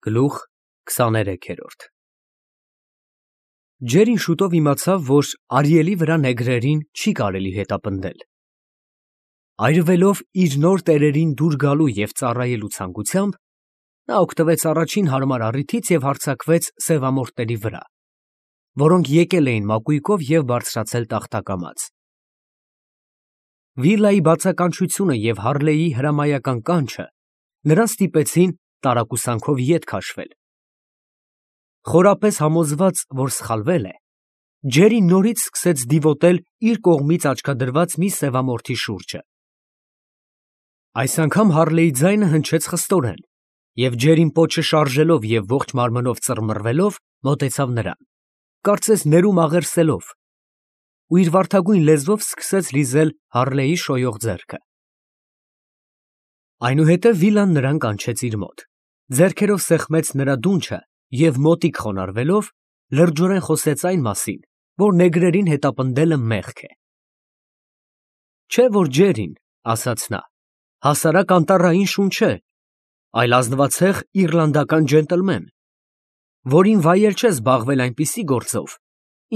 Գլուխ 23 Ջերին շուտով իմացավ, որ Արիելի վրա նեգրերին չի կարելի հետապնդել։ Այրվելով իր նոր տերերին դուր գալու և ծառայելու ցանկությամբ, նա օգտվեց առաջին հարմար առիթից և հարձակվեց սևամորթների վրա, որոնք եկել էին մակույկով և բարձրացել տախտակամած։ Վիլայի բացականչությունը և Հարլեի հրամայական կանչը նրան ստիպեցին տարակուսանքով ետ քաշվել։ Խորապես համոզված, որ սխալվել է, Ջերին նորից սկսեց դիվոտել իր կողմից աչքադրված մի սևամորթի շուրջը։ Այս անգամ Հարլեի ձայնը հնչեց խստորեն, և Ջերին պոչը շարժելով և ողջ մարմնով ծռմռվելով մոտեցավ նրան, կարծես ներում աղերսելով, ու իր վարդագույն լեզվով սկսեց լիզել Հարլեի շոյող ձեռքը։ Այնուհետև Վիլան նրան կանչեց իր մոտ, ձեռքերով սեղմեց նրա դունչը և մոտիկ խոնարհվելով, լրջորեն խոսեց այն մասին, որ նեգրերին հետապնդելը մեղք է։ Չէ՞ որ Ջերին, ասաց նա, հասարակ անտառային շուն չէ, այլ ազնվացեղ իռլանդական ջենտլմեն, որին վայել չէ զբաղվել այնպիսի գործով,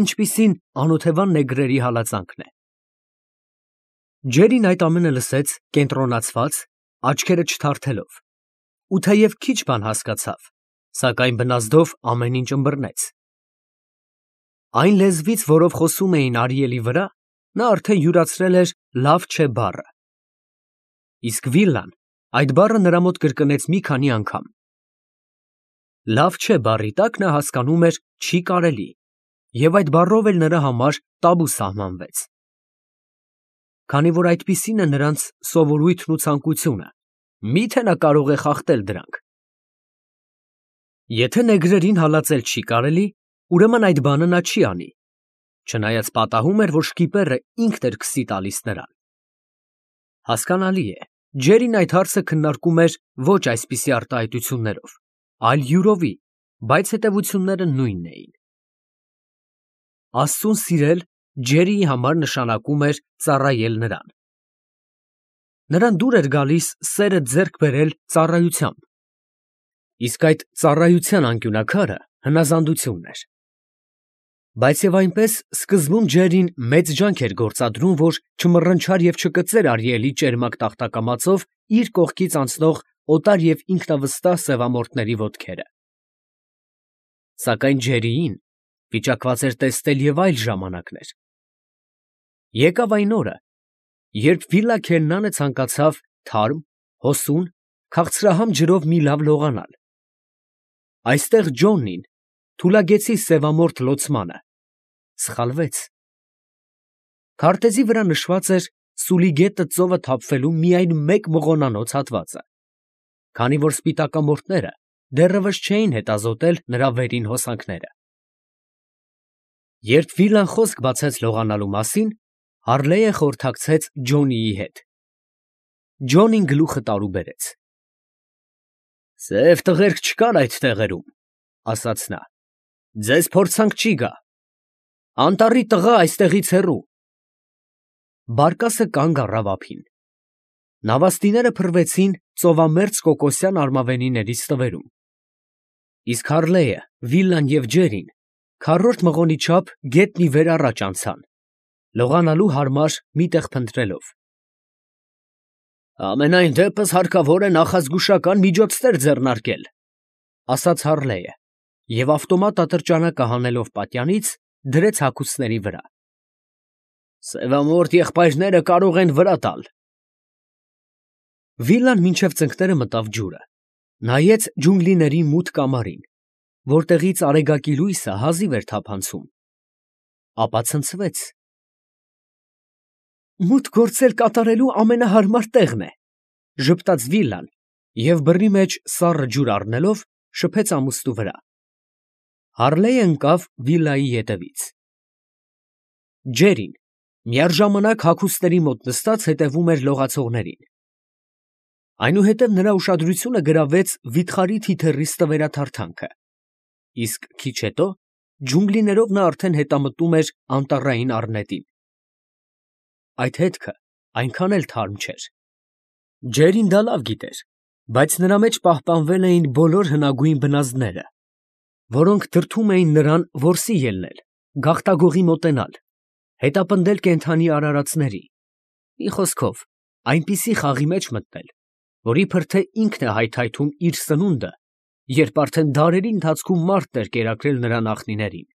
ինչպիսին անօթևան նեգրերի հալածանքն է։ Ջերին այդ ամենը լսեց կենտրոնացված, աչքերը չթարթելով, ու թեև քիչ բան հասկացավ, սակայն բնազդով ամեն ինչ ըմբռնեց։ Այն լեզվից, որով խոսում էին Արիելի վրա, նա արդեն յուրացրել էր «լավ չէ» բառը։ Իսկ Վիլան այդ բառը նրա մոտ կրկնեց մի քանի անգամ։ «Լավ չէ» բառի տակ նա հասկանում էր «չի կարելի», և այդ բառով էլ նրա համար տաբու սահմանվեց։ Քանի որ այդպիսին է նրանց սովորույթն ու ցանկությունը, մի՞թե նա կարող է խախտել դրանք։ Եթե նեգրերին հալածել չի կարելի, ուրեմն այդ բանը նա չի անի, չնայած պատահում էր, որ շկիպերը ինքն էր քսի տալիս նրան։ Հասկանալի է, Ջերին այդ հարցը քննարկում էր ոչ այսպիսի արտահայտություններով, այլ յուրովի, բայց հետևությունները նույնն էին։ Աստծուն սիրել Ջերիի համար նշանակում էր ծառայել նրան։ Նրան դուր էր գալիս սերը ձեռք բերել ծառայությամբ, իսկ այդ ծառայության անկյունաքարը հնազանդությունն էր։ Բայց և այնպես սկզբում Ջերին մեծ ջանք էր գործադրում, որ չմռնչար և չկծեր Արիելի ճերմակ տախտակամածով իր կողքից անցնող օտար և ինքնավստահ սևամորթների ոտքերը։ Սակայն Ջերիին վիճակված էր տեսնել և այլ ժամանակներ։ Եկավ այն օրը, երբ Վիլա Քերնանը ցանկացավ թարմ, հոսուն, քաղցրահամ ջրով մի լավ լողանալ։ Այստեղ Ջոնին, թուլագեցի սևամորթ լոցմանը, սխալվեց։ Քարտեզի վրա նշված էր սուլի գետը ծովը թափվելու միայն մեկ մղոնանոց հատվածը, քանի որ սպիտակամորթները դեռևս չէին հետազոտել նրա վերին հոսանքները։ Երբ Վիլան խոսք բացեց լողանալու մասին, Հարլեը խորհրդակցեց Ջոնիի հետ։ Ջոնին գլուխը տարուբերեց։ «Սև տղերք չկան այդ տեղերում, ֊ ասաց նա, ֊ ձեզ փորձանք չի գա։ Անտառի տղա այստեղից հեռու»։ Բարկասը կանգ առավ ափին։ Նավաստիները փռվեցին ծովամերձ կոկոսյան արմավենիների ստվերում, իսկ Հարլեը, Վիլան և Ջերին քառորդ մղոնի չափ գետնի վեր առաջ անցան, լողանալու հարմար մի տեղ փնտրելով։ «Համենայն դեպս հարկավոր է նախազգուշական միջոցներ ձեռնարկել, ֊ ասաց Հարլեը և ավտոմատ ատրճանակը հանելով պատյանից, դրեց հագուստների վրա։ ֊ Սևամորթ եղբայրները կարող են վրա տալ։ Վիլան մինչև ծնկները մտավ ջուրը, նայեց ջունգլիների մութ կամարին, որտեղից արեգակի լույսը հազիվ էր թափանցում, ապա ցնցվեց։ «Մութ գործեր կատարելու ամենահարմար տեղն է, ֊ ժպտաց Վիլան և բռի մեջ սառը ջուր առնելով շփեց ամուստու վրա։ Հարլեը ընկավ Վիլայի ետևից։ Ջերին միաժամանակ հագուստների մոտ նստած հետևում էր լողացողներին։ Այնուհետև նրա ուշադրությունը գրավեց վիթխարի թիթեռի ստվերաթարթանքը, իսկ քիչ հետո ջունգլիներով նա արդեն հետամտում էր անտառային առնետին։ Այդ հետքը այնքան էլ թարմ չէր։ Ջերին դա լավ գիտեր, Բայց նրա մեջ պահպանվել էին բոլոր հնագույն բնազդները, որոնք դրդում էին նրան որսի ելնել, գաղտագողի մոտենալ, հետապնդել կենդանի արարածների, մի խոսքով, այնպիսի խաղի մեջ մտնել, որի փրթե ինքն է հայթայթում իր սնունդը, երբ արդեն դարերի ընթացքում մարդն էր կերակրել նրա նախնիներին։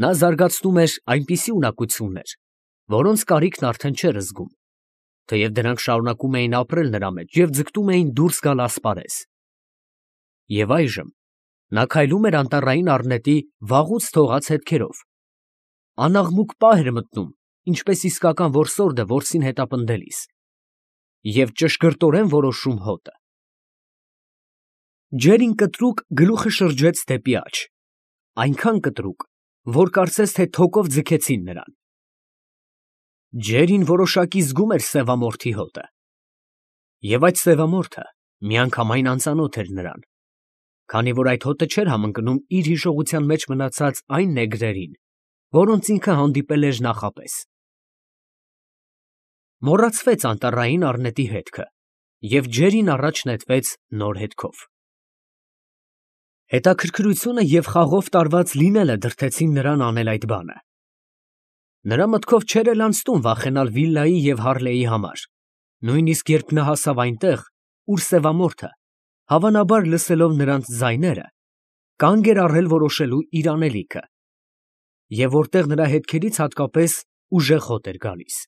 Նա զարգացնում էր այնպիսի ունակություններ, որոնց կարիքն արդեն չէր զգում, թեև դրանք շարունակում էին ապրել նրա մեջ և ձգտում էին դուրս գալ ասպարեզ։ Եվ այժմ նա քայլում էր անտառային առնետի վաղուց թողած հետքերով, անաղմուկ պահ էր մտնում, ինչպես իսկական որսորդը որսին հետապնդելիս, և ճշգրտորեն որոշում հոտը։ Ջերին կտրուկ գլուխը շրջեց դեպի աջ, այնքան կտրուկ, որ կարծես թե թոկով ձգեցին նրան։ Ջերին որոշակի զգում էր սևամորթի հոտը, և այդ սևամորթը միանգամայն անծանոթ էր նրան, քանի որ այդ հոտը չէր համընկնում իր հիշողության մեջ մնացած այն նեգրերին, որոնց ինքը հանդիպել էր նախապես։ Մոռացվեց անտառային առնետի հետքը, և ջերին առաջ նետվեց նոր հետքով։ Հետաքրքրությունը և խաղով տարված լինելը դրդեցին նրան անել այդ բանը։ Նրա մտքով չէր էլ անցնում վախենալ Վիլլայի և Հարլեի համար, նույնիսկ երբ նա հասավ այնտեղ, ուր սևամորթը, հավանաբար լսելով նրանց ձայները, կանգ էր առել որոշելու իր անելիքը, և որտեղ նրա հետքերից հատկապես ուժեղ հոտ էր գալիս։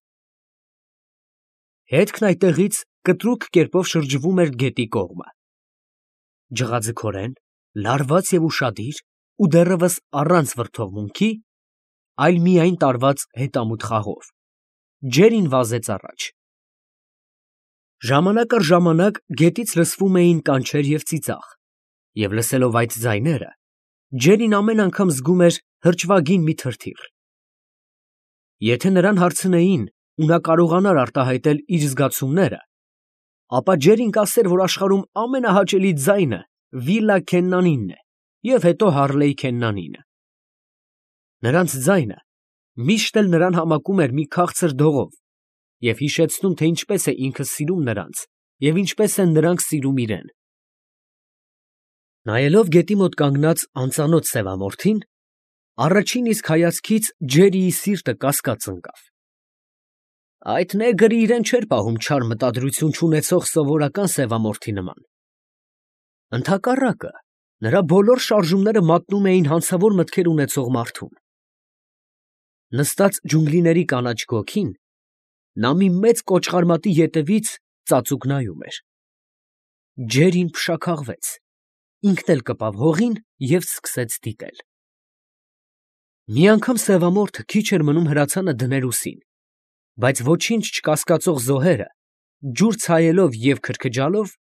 Հետքն այդտեղից կտրուկ կերպով շրջվում էր գետի կողմը։ Ջղաձգորեն, լարված և ուշադիր ու դեռևս առանց վրդովմունքի, այլ միայն տարված հետամուտ խաղով, ջերին վազեց առաջ։ Ժամանակ առ ժամանակ գետից լսվում էին կանչեր և ծիծաղ, և լսելով այդ ձայները, ջերին ամեն անգամ զգում էր հրճվագին մի թրթիռ։ Եթե նրան հարցնեին ու նա կարողանար արտահայտել իր զգացումները, ապա ջերին կասեր, որ աշխարհում ամենահաճելի ձայնը Վիլլա Քեննանինն է և հետո Հարլեյ Քեննանինը։ Նրանց ձայնը միշտ էլ նրան համակում էր մի քաղցր դողով և հիշեցնում, թե ինչպես է ինքը սիրում նրանց և ինչպես են նրանք սիրում իրեն։ Նայելով գետի մոտ կանգնած անծանոթ սևամորթին, առաջին իսկ հայացքից Ջերիի սիրտը կասկած ընկավ։ Այդ նեգրը իրեն չէր պահում չար մտադրություն չունեցող սովորական սևամորթի նման։ Ընդհակառակը, նրա բոլոր շարժումները մատնում էին հանցավոր մտքեր ունեցող մարդուն։ Նստած ջունգլիների կանաչ գոգին, նա մի մեծ կոճղարմատի ետևից ծածուկ նայում էր։ Ջերին փշաքաղվեց, ինքն էլ կպավ հողին և սկսեց դիտել։ Մի անգամ սևամորթը քիչ էր մնում հրացանը դներ ուսին, բայց ոչինչ չկասկածող զոհերը, ջուր ցայելով և քրքջալով,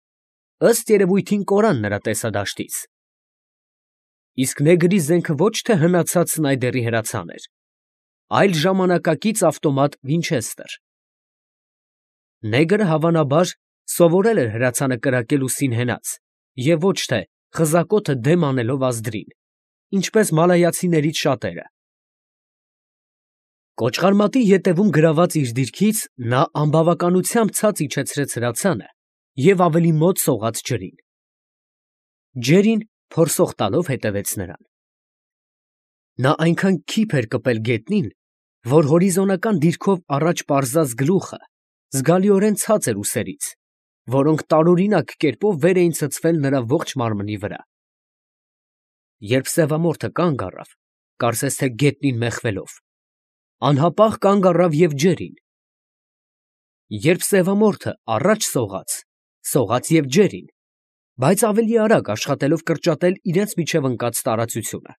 ըստ երևույթին կորան նրա տեսադաշտից։ Իսկ նեգրի զենքը ոչ թե հնացած Սնայդերի հրացան էր, այլ ժամանակակից ավտոմատ Վինչեսթեր։ Նեգրը հավանաբար սովորել էր հրացանը կրակել ուսին հենած և ոչ թե խզակոթը դեմ անելով ազդրին, ինչպես մալայացիներից շատերը։ Կոճղարմատի ետևում գրաված իր դիրքից նա անբավականությամբ ցած իջեցրեց հրացանը և ավելի մոտ սողաց ջրին։ Ջերին փորսող տալով հետևեց նրան։ Նա այնքան քիփ էր կպել գետնին, որ հորիզոնական դիրքով առաջ պարզած գլուխը զգալիորեն ցած էր ուսերից, որոնք տարօրինակ կերպով վեր էին ցցվել նրա ողջ մարմնի վրա։ Երբ սևամորթը կանգ առավ, կարծես թե գետնին մեխվելով, անհապաղ կանգ առավ և Ջերին։ Երբ սևամորթը առաջ սողաց, սողաց և Ջերին, բայց ավելի արագ աշխատելով կրճատել իրենց միջև ընկած տարածությունը։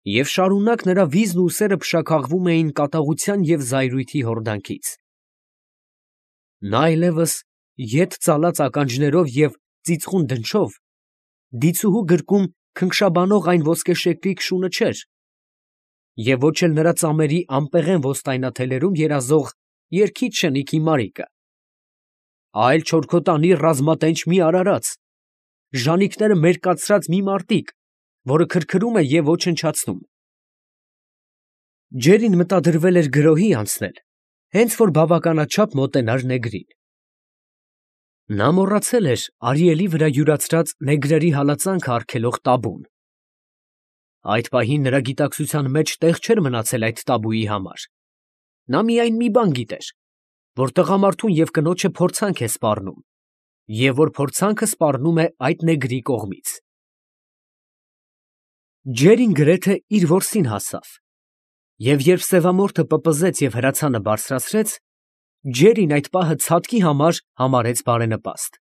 Եվ շարունակ նրա վիզն ու ուսերը փշաքաղվում էին կատաղության և զայրույթի հորդանքից։ Նա այլևս ետ ծալած ականջներով և ծիծխուն դնչով դիցուհու գրկում քնքշաբանող այն ոսկեշեկլիկ շունը չէր, և ոչ էլ նրա ծամերի անպեղեն ոստայնաթելերում երազող երգիչ շնիկի Մարիկը, այլ չորքոտանի ռազմատենչ մի արարած, ժանիքները մերկացրած մի մարտիկ, որը քրքրում է և ոչնչացնում։ Ջերին մտադրվել էր գրոհի անցնել, հենց որ բավականաչափ մոտենար նեգրին։ Նա մոռացել էր Արիելի վրա յուրացրած նեգրերի հալածանքը արգելող տաբուն։ Այդ պահին նրա գիտակցության մեջ տեղ չէր մնացել այդ տաբուի համար։ Նա միայն մի բան գիտեր, որ տղամարդուն և կնոջը փորձանք է սպառնում, և որ փորձանքը սպառնում է այդ նեգրի կողմից։ Ջերին գրեթե իր որսին հասավ, և երբ սևամորթը պպզեց և հրացանը բարձրացրեց, Ջերին այդ պահը ցատկի համար համարեց բարենպաստ։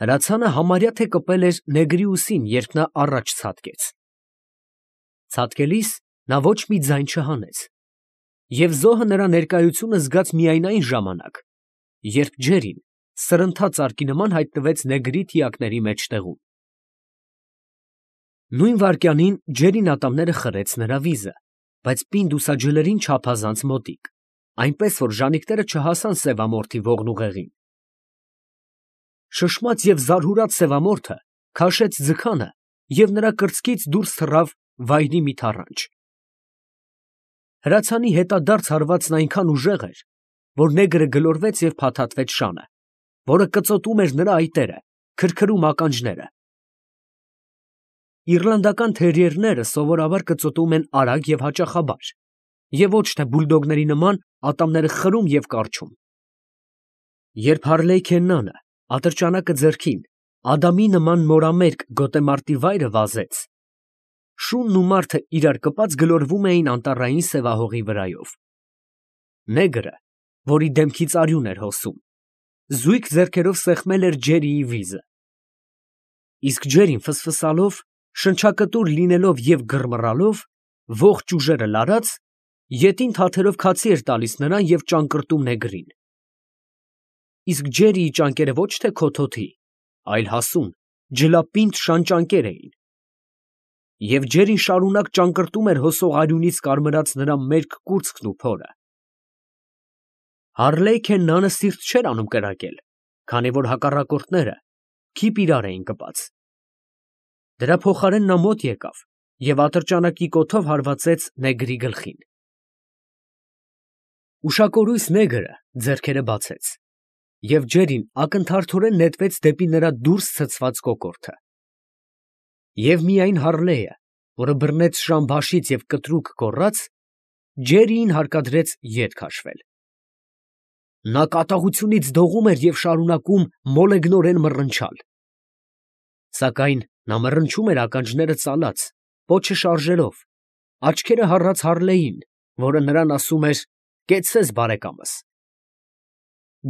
Հրացանը համարյա թե կպել էր նեգրի ուսին, երբ նա առաջ ցատկեց։ Ցատկելիս նա ոչ մի ձայն չհանեց, և զոհը նրա ներկայությունը զգաց միայն այն ժամանակ, երբ Ջերին սրընթաց սարքի նման հայտնվեց նեգրի թիակների մեջտեղում։ Նույն վայրկյանին Ջերին ատամները խրեց նրա վիզը, բայց պինդ ուսաջլերին չափազանց մոտիկ, այնպես որ ժանիքները չհասան սևամորթի ողնուղեղին։ Շշմած և զարհուրած սևամորթը քաշեց ձգանը և նրա կրծքից դուրս թռավ վայրի մի թառանչ։ Հրացանի հետադարձ հարվածն այնքան ուժեղ էր, որ նեգրը գլորվեց և փաթաթվեց շանը, որը կծոտում էր նրա այտերը, քրքրում ականջները։ Իռլանդական թերիերները սովորաբար կծոտում են արագ և հաճախաբար, և ոչ թե բուլդոգների նման ատամները խրում և կառչում։ Երբ Հարլեյքեննանը, ատրճանակը ձեռքին, Ադամի նման մորամերկ գոտեմարտի վայրը վազեց, շունն ու մարդը իրար կպած գլորվում էին անտառային սևահողի վրայով։ Նեգրը, որի դեմքից արյուն էր հոսում, զույգ ձեռքերով սեղմել էր Ջերիի վիզը։ Իսկ Ջերին ֆսֆսալով, շնչակտուր լինելով և գրմռալով, ողջ ուժերը լարած, ետին թաթերով քացի էր տալիս նրան և ճանկռտում նեգրին։ Իսկ Ջերիի ճանկերը ոչ թե քոթոթի, այլ հասուն, ջլապինդ շան ճանկեր էին, և Ջերին շարունակ ճանկռտում էր հոսող արյունից կարմրած նրա մերկ կուրծքն ու փորը։ Հարլեյքեննանը սիրտ չէր անում կրակել, քանի որ հակառակորդները քիփ իրար էին կպած։ Դրա փոխարեն նա մոտ եկավ և ատրճանակի կոթով հարվածեց նեգրի գլխին։ Ուշակորույս նեգրը ձեռքերը բացեց, և Ջերին ակնթարթորեն նետվեց դեպի նրա դուրս ցցված կոկորդը։ Եվ միայն Հարլեյը, որը բռնեց շան բաշից և կտրուկ գոռաց, Ջերիին հարկադրեց ետ քաշվել։ Նա կատաղությունից դողում էր և շարունակում մոլեգնորեն մռնչալ։ Սակայն նա մռնչում էր ականջները ծալած, պոչը շարժելով, աչքերը հառած Հարլեյին, որը նրան ասում էր. «Կեցցես, բարեկամս»։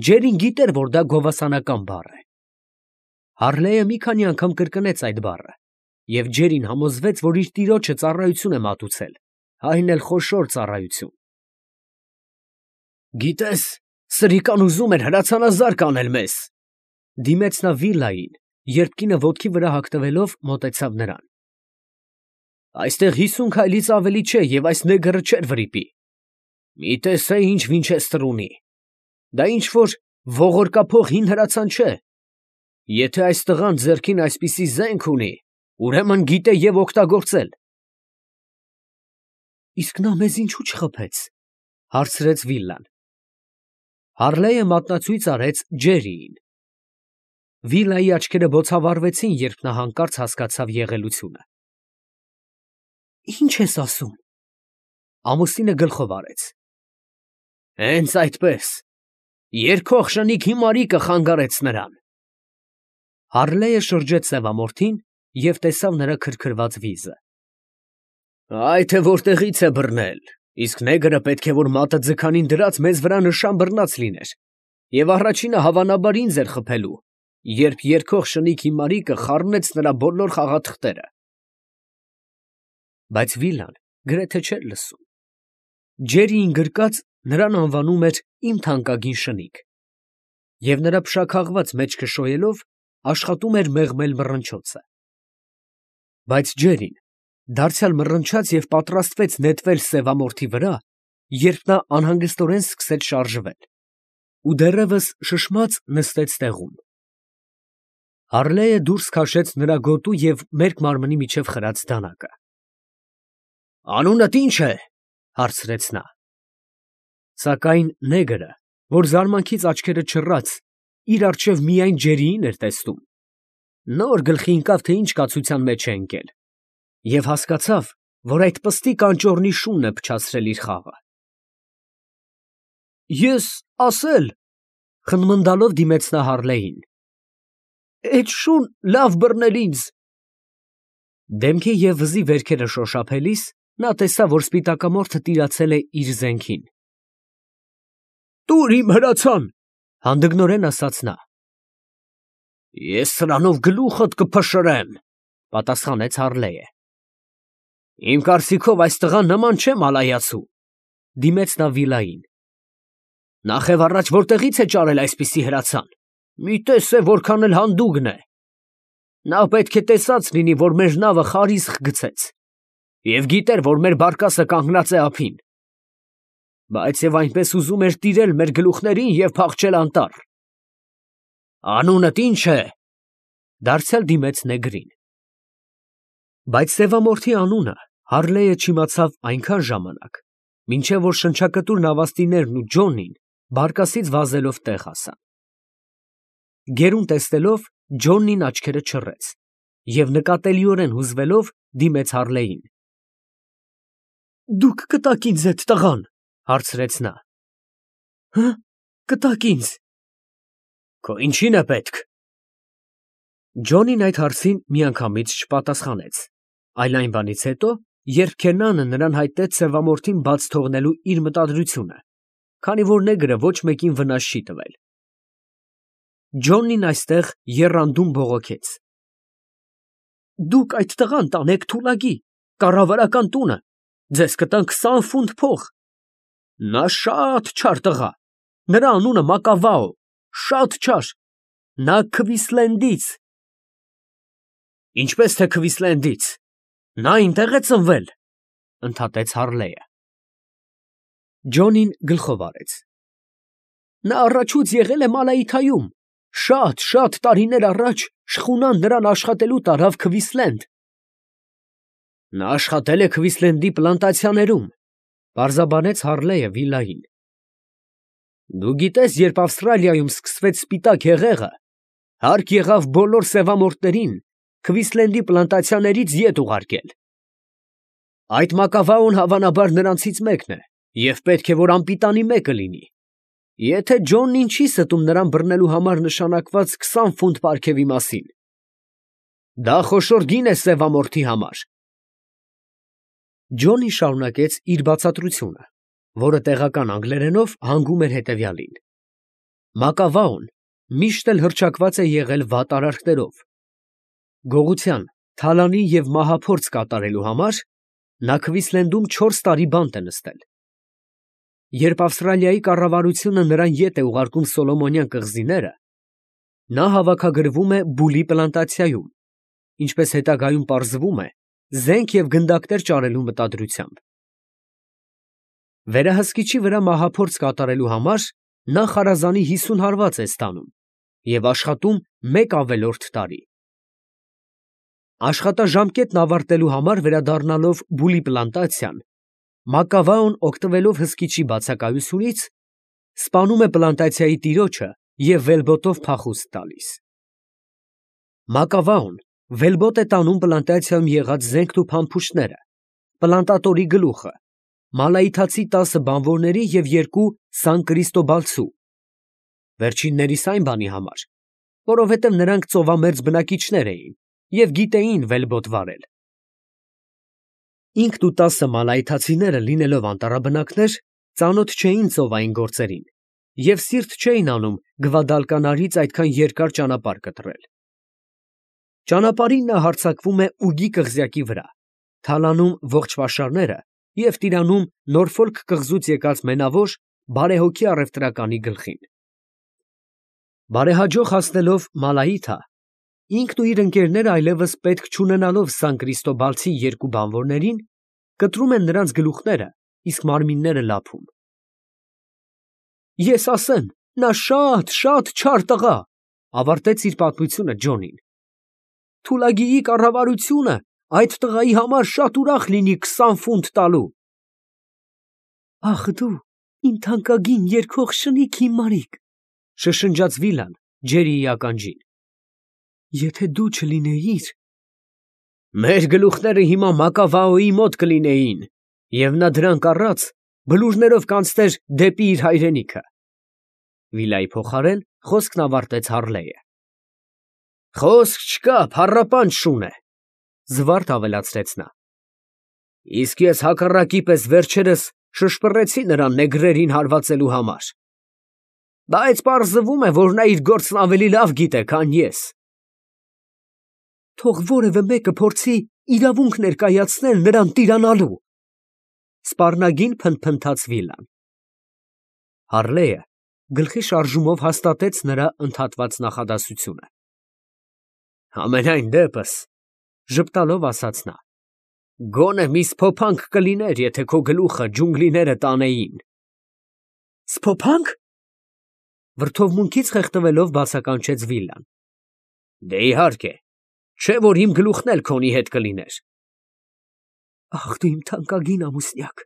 Ջերին գիտեր, որ դա գովասանական բառ է։ Հարլեյը մի քանի անգամ կրկնեց այդ բառը, և Ջերին համոզվեց, որ իր տիրոջը ծառայություն է մատուցել, այն էլ խոշոր ծառայություն։ Գիտես, սրիկան ուզում էր հրացանազարկ անել մեզ, ֊ դիմեց նա Վիլային, երբ կինը ոտքի վրա հագնվելով մոտեցավ նրան։ Այստեղ 50 քայլից ավելի չէ, և այս նեգրը չէր վրիպի։ Մի տեսե, ինչ Վինչեսթր ունի։ Դա ինչ֊որ ողորկափող հին հրացան չէ։ Եթե այս տղան ձեռքին այսպիսի զենք ունի, ուրեմն գիտե և օգտագործել։ Իսկ նա մեզ ինչո՞ւ չխփեց, ֊ հարցրեց Վիլան։ Հարլեյը մատնացույց արեց Ջերիին։ Վիլայի աչքերը բոցավառվեցին, երբ նա հանկարծ հասկացավ եղելությունը։ Ի՞նչ ես ասում։ Ամուսինը գլխով արեց։ Հենց այդպես, երգող շնիկ հիմարիկը խանգարեց նրան։ Հարլեյը շրջեց սևամորթին և տեսավ նրա քրքրված վիզը։ Այ թե որտեղից է բռնել, իսկ նեգրը պետք է որ մատը ձգանին դրած մեզ վրա նշան բռնած լիներ, և առաջինը հավանաբար ինձ էր խփելու, երբ երգող շնիկ հիմարիկը խառնեց նրա բոլոր խաղաթղթերը։ Բայց Վիլան գրեթե չէր լսում։ Ջերիին գրկած նրան անվանում էր իմ թանկագին շնիկ, և նրա փշաքաղված մեջքը շոյելով աշխատում էր մեղմել մռնչոցը։ Բայց Ջերին դարձյալ մռնչաց և պատրաստվեց նետվել սևամորթի վրա, երբ նա անհանգստորեն սկսեց շարժվել ու դեռևս շշմած նստեց տեղում։ Հարլեյը դուրս քաշեց նրա գոտու և մերկ մարմնի միջև խրած դանակը։ Անունդ ի՞նչ է, ֊ հարցրեց նա։ Սակայն նեգրը, որ զարմանքից աչքերը չռած, իր առջև միայն ջերիին էր տեսնում, նոր գլխի ընկավ, թե ինչ կացության մեջ է ընկել, և հասկացավ, որ այդ պստիկ անճոռնի շունն է փչացրել իր խաղը։ Ես ասել, խնմնդալով դիմեց նա Հարլեին, այդ շուն լավ բռնել ինձ։ Դեմքի և վզի վերքերը շոշափելիս նա տեսավ, որ սպիտակամորթը տիրացել է իր զենքին։ Տուր իմ հրացան, հանդգնորեն ասաց նա։ Ես սրանով գլուխդ կփշրեմ, պատասխանեց Հարլեը։ Իմ կարծիքով այս տղան նման չէ մալայացու, դիմեց նա Վիլային։ Նախև առաջ որտեղից է ճարել այսպիսի հրացան, մի տես է որքան էլ հանդուգն է։ Նա պետք է տեսած լինի, որ մեր նավը խարիսխ գցեց, և գիտեր, որ մեր բարկասը կանգնած է ափին, բայց և այնպես ուզում էր տիրել մեր գլուխներին և փախչել անտառ։ Անունդ ի՞նչ է, դարձյալ դիմեց նեգրին։ Բայց սևամորթի անունը Հարլեը չիմացավ այնքան ժամանակ, մինչև որ շնչակտուր նավաստիներն ու Ջոնին բարկասից վազելով տեղ հասան։ Գերուն տեսնելով, Ջոնին աչքերը չռեց և նկատելիորեն հուզվելով դիմեց Հարլեին։ Դուք կտաք ինձ այդ տղան, հարցրեց նա։ Հը, կտաք ինձ։ Քո ինչին է պետք։ Ջոնին այդ հարցին միանգամից չպատասխանեց, այլ այն բանից հետո, երբ Քենանը նրան հայտնեց սևամորթին բաց թողնելու իր մտադրությունը, քանի որ նեգրը ոչ մեկին վնաս չի տվել։ Ջոնին այստեղ եռանդում բողոքեց. Դուք այդ տղան տանեք Թուլագի, կառավարական տունը, ձեզ կտան 20 ֆունտ փող։ Նա շատ չար տղա, նրա անունը Մակավաո, շատ չար, նա Քվիսլենդից։ Ինչպես թե Քվիսլենդից, նա այնտեղ է ծնվել, ընդհատեց Հարլեը։ Ջոնին գլխով արեց։ Նա առաջուց եղել է Մալայիթայում, շատ տարիներ առաջ շխունան նրան աշխատելու տարավ Քվիսլենդ։ Նա աշխատել է Քվիսլենդի պլանտացիաներում, պարզաբանեց Հարլեը Վիլային։ Դու գիտես, երբ Ավստրալիայում սկսվեց սպիտակ հեղեղը, հարկ եղավ բոլոր սևամորթներին Քվիսլենդի պլանտացիաներից ետ ուղարկել։ Այդ Մակավաոն հավանաբար նրանցից մեկն է, և պետք է, որ անպիտանի մեկը լինի, եթե Ջոնին չի ստում նրան բռնելու համար նշանակված 20 ֆունտ պարգևի մասին։ Դա խոշոր գին է սևամորթի համար։ Ջոնին շարունակեց իր բացատրությունը, որը տեղական անգլերենով հանգում էր հետևյալին. Մակավաոն միշտ էլ հռչակված է եղել վատ արարքներով։ Գողության, թալանի և մահափորձ կատարելու համար նա Քվիսլենդում 4 տարի բանտ է նստել։ Երբ Ավստրալիայի կառավարությունը նրան ետ է ուղարկում Սոլոմոնյան կղզիները, նա հավաքագրվում է Բուլի պլանտացիայում, ինչպես հետագայում պարզվում է, զենք և գնդակներ ճարելու մտադրությամբ։ Վերահսկիչի վրա մահափորձ կատարելու համար նա խարազանի 50 հարված է ստանում և աշխատում 1 ավելորդ տարի։ Աշխատաժամկետն ավարտելու համար վերադառնալով Բուլի պլանտացիան, Մակավաոն օգտվելով հսկիչի բացակայությունից, սպանում է պլանտացիայի տիրոջը և վելբոտով փախուստ տալիս։ Մակավաոն վելբոտ է տանում պլանտացիայում եղած զենքն ու փամփուշտները, պլանտատորի գլուխը, մալայիթացի 10 բանվորների և 2 Սան Կրիստոբալցու, վերջիններիս այն բանի համար, որովհետև նրանք ծովամերձ բնակիչներ էին և գիտեին վելբոտ վարել։ Ինքն ու 10 մալայիթացիները լինելով անտառաբնակներ, ծանոթ չէին ծովային գործերին և սիրտ չէին անում Գվադալկանարից այդքան երկար ճանապարհ կտրել։ Ճանապարհին նա հարձակվում է Ուգի կղզյակի վրա, թալանում ողջ պաշարները և տիրանում Նորֆոլք կղզուց եկած մենավոր, բարեհոգի առևտրականի գլխին։ Բարեհաջող հասնելով Մալայիթա, ինքն ու իր ընկերները այլևս պետք չունենալով Սան Կրիստոբալցի 2 բանվորներին, կտրում են նրանց գլուխները, իսկ մարմինները լափում։ Ես ասեմ, նա շատ չար տղա, ավարտեց իր պատմությունը Ջոնին։ Թուլագիի կառավարությունը այդ տղայի համար շատ ուրախ լինի 20 ֆունտ տալու։ Ախ դու, իմ թանկագին երգող շնիկ հիմարիկ, շշնջաց Վիլան, Ջերիի ականջին։ Եթե դու չլինեիր… Մեր գլուխները հիմա Մակավաոյի մոտ կլինեին, և նա դրանք առած բլուրներով կանցներ դեպի իր հայրենիքը։ Վիլայի փոխարեն խոսքն ավարտեց Հառլեյը։ Խոսք չկա, փառապանջ շուն է, զվարթ ավելացրեց նա։ Իսկ ես հակառակի պես վերջերս շշպռեցի նրան նեգրերին հարվածելու համար։ Բայց պարզվում է, որ նա իր գործն ավելի լավ գիտե, քան ես։ Թող որևէ մեկը փորձի իրավունք ներկայացնել նրան տիրանալու, սպառնագին փնթփնթաց Վիլան։ Հառլեյը գլխի շարժումով հաստատեց նրա ընդհատված նախադասությունը։ Համենայն դեպս, ժպտալով ասաց նա, գոնե մի սփոփանք կլիներ, եթե քո գլուխը ջունգլիները տանեին։ Սփոփանք… Վրդովմունքից խեղդվելով բացականչեց Վիլան։ Դե իհարկե, չէ որ իմ գլուխն էլ քոնի հետ կլիներ։ Ախ, դու իմ թանկագին ամուսնյակ,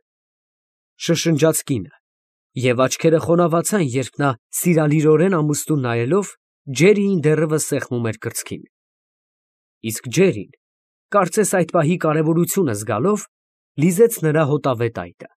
շշնջաց կինը, և աչքերը խոնավացան, երբ նա սիրալիրորեն ամուսնուն նայելով Ջերիին դեռևս սեղմում էր կրծքին։ Իսկ Ջերին, կարծես այդ պահի կարևորությունը զգալով, լիզեց նրա հոտավետ այտը։